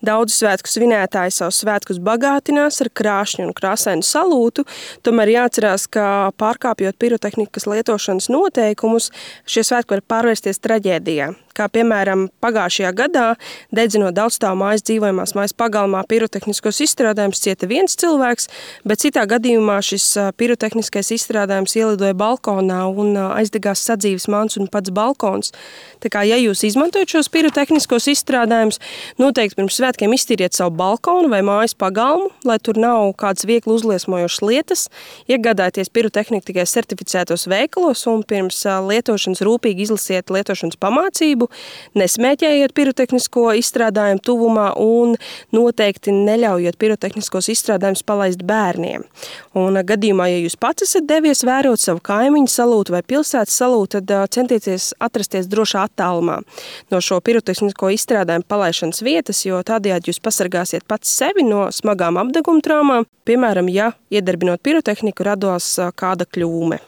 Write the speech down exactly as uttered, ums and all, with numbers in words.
Daudzi svētku svinētāji savus svētkus bagātinās ar krāšņu un krāsainu salūtu, tomēr jāatcerās, ka pārkāpjot pirotehnikas lietošanas noteikumus, šie svētki var pārvērsties traģēdijā. Kā piemēram pagājušajā gadā, dedzinot daudzstāvu mājas dzīvojamās mājas pagalmā pirotehniskos izstrādājumus, cieta viens cilvēks, bet citā gadījumā šis pirotehniskais izstrādājums ielidoja balkonā un aizdegās sadzīves mans un pats balkons. Tā kā, ja jūs izmantojat šos pirotehniskos izstrādājumus, noteikti pirms svētkiem iztīriet savu balkonu vai mājas pagalmu, lai tur nav kādas viegli uzliesmojošas lietas, iegādājieties pirotehniku tikai certificētos veikalos un pirms lietošanas rūpīgi izlasiet lietošanas pamācību, nesmēķējiet pirotehnisko izstrādājumu tuvumā un noteikti neļaujiet pirotehniskos izstrādājumus palaist bērniem. Un gadījumā, ja jūs pats esat devies vērot savu kaimiņu salūtu vai pilsētas salūtu, tad centieties atrasties drošā attālumā no šo pirotehnisko izstrādājumu palaišanas vietas, jo tādējādi jūs pasargāsiet pats sevi no smagām apdeguma traumām, piemēram, ja iedarbinot pirotehniku radās kāda kļūme.